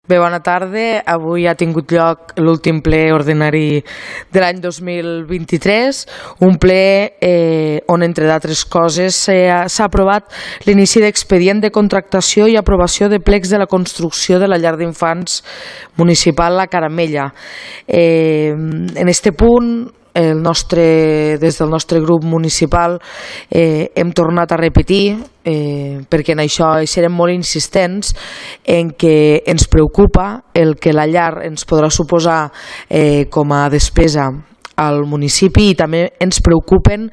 Bé, bona tarda. Avui ha tingut lloc l'últim ple ordinari de l'any 2023, un ple on, entre d'altres coses, s'ha aprovat l'inici d'expedient de contractació i aprovació de plecs de la construcció de la llar d'infants municipal La Caramella. En este punt, des del nostre grup municipal hem tornat a repetir, perquè en això serem molt insistents, en que ens preocupa el que la llar ens podrà suposar com a despesa al municipi, i també ens preocupen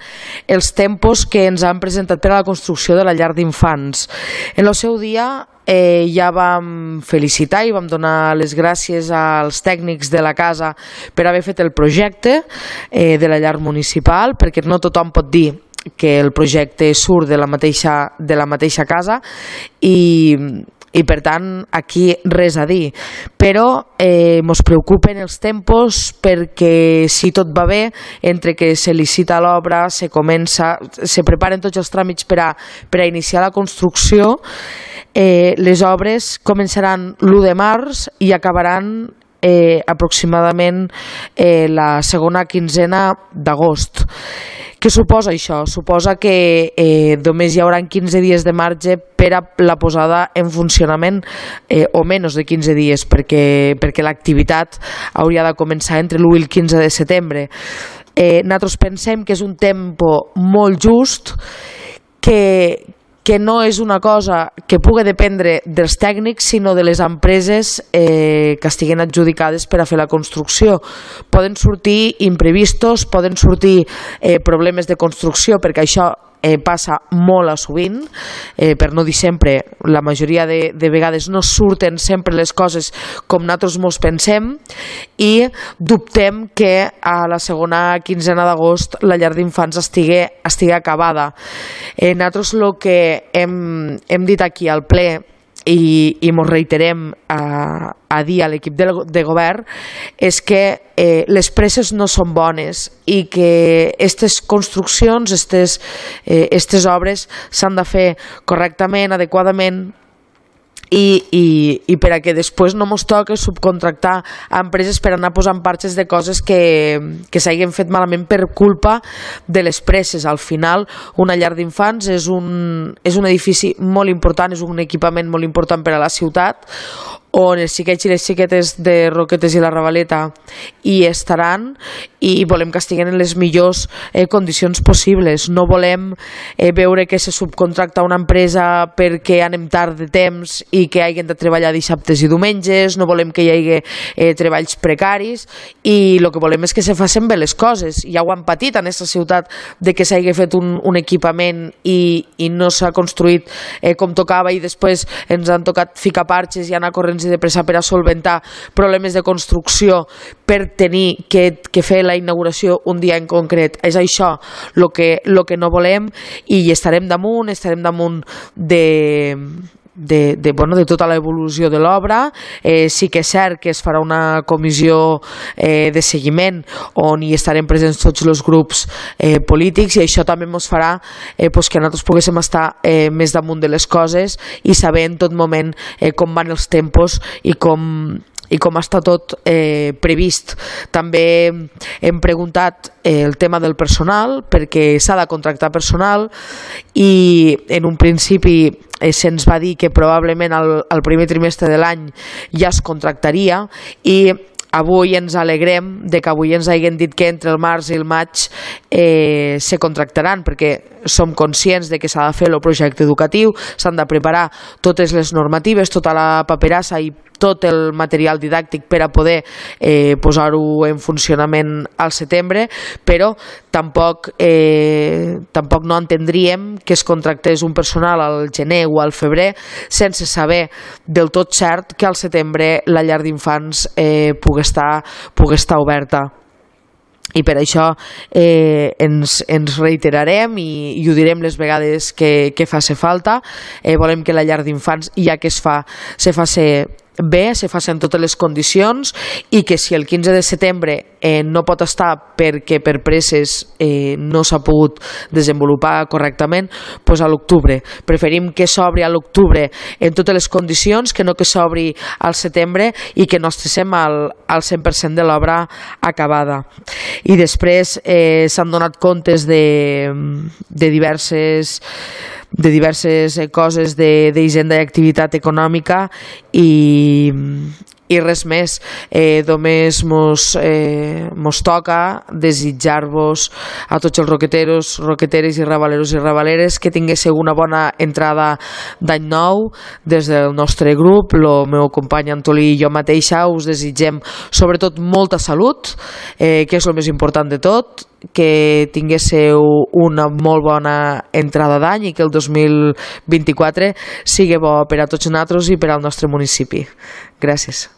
els tempos que ens han presentat per a la construcció de la llar d'infants. En el seu dia ja vam felicitar i vam donar les gràcies als tècnics de la casa per haver fet el projecte de la llar municipal, perquè no tothom pot dir que el projecte surt de la mateixa casa i per tant aquí res a dir, però ens preocupen els tempos, perquè si tot va bé, entre que se licita l'obra, se preparen tots els tràmits per a iniciar la construcció, les obres començaran l'1 de març i acabaran aproximadament la segona quinzena d'agost. Què suposa això? Suposa que només hi haurà 15 dies de marge per a la posada en funcionament, o menys de 15 dies, perquè l'activitat hauria de començar entre l'1 i el 15 de setembre. Nosaltres pensem que és un tempo molt just, que no és una cosa que pugui dependre dels tècnics, sinó de les empreses que estiguen adjudicades per a fer la construcció. Poden sortir imprevistos, poden sortir problemes de construcció, perquè això passa molt a sovint, per no dir sempre, la majoria de vegades no surten sempre les coses com nosaltres mos pensem, i dubtem que a la segona quinzena d'agost la llar d'infants estigui acabada. Nosaltres el que hem dit aquí al ple, i ens reiterem a dir a l'equip de govern, és que les presses no són bones i que aquestes construccions, aquestes obres s'han de fer correctament, adequadament, i per a que després no ens toqui subcontractar a empreses per anar posant parxes de coses que s'hagin fet malament per culpa de les presses. Al final, una llar d'infants és un edifici molt important, és un equipament molt important per a la ciutat, on els xiquets i les xiquetes de Roquetes i la Ravaleta hi estaran, i volem que estiguen en les millors condicions possibles. No volem veure que se subcontracta una empresa perquè anem tard de temps i que hagin de treballar dissabtes i diumenges, no volem que hi hagi treballs precaris, i el que volem és que se facin bé les coses. Ja ho han patit en aquesta ciutat, de que s'hagi fet un equipament i no s'ha construït com tocava, i després ens han tocat ficar parxes i anar corrents i de pressa per a solventar problemes de construcció, per tenir que fer la inauguració un dia en concret. És això el que no volem, i estarem damunt de tota l'evolució de l'obra. Sí que és cert que es farà una comissió de seguiment on hi estarem presents tots els grups polítics, i això també ens farà que nosaltres poguéssim estar més damunt de les coses i saber en tot moment com van els tempos i com està tot previst. També hem preguntat el tema del personal, perquè s'ha de contractar personal, i en un principi se'ns va dir que probablement al primer trimestre de l'any ja es contractaria, i avui ens alegrem de que avui ens hagin dit que entre el març i el maig se contractaran, perquè som conscients de que s'ha de fer el projecte educatiu, s'han de preparar totes les normatives, tota la paperassa i tot el material didàctic per a poder posar-ho en funcionament al setembre, però tampoc no entendríem que es contractés un personal al gener o al febrer sense saber del tot cert que al setembre la llar d'infants pugui estar oberta. I per això ens reiterarem i ho direm les vegades que faci falta. Volem que la llar d'infants, ja que se faci bé, se facin totes les condicions i que si el 15 de setembre no pot estar perquè per presses no s'ha pogut desenvolupar correctament, doncs a l'octubre. Preferim que s'obri a l'octubre en totes les condicions que no que s'obri al setembre i que no estiguem al 100% de l'obra acabada. I després s'han donat comptes de diverses coses d'hisenda i activitat econòmica i res més. Només mos toca desitjar-vos a tots els roqueteros, roqueteres i rabaleros i rabaleres que tinguéssiu una bona entrada d'any nou. Des del nostre grup, el meu company Antolí i jo mateixa us desitgem sobretot molta salut, que és el més important de tot, que tinguéssiu una molt bona entrada d'any i que el 2024 sigui bo per a tots nosaltres i per al nostre municipi. Gràcies.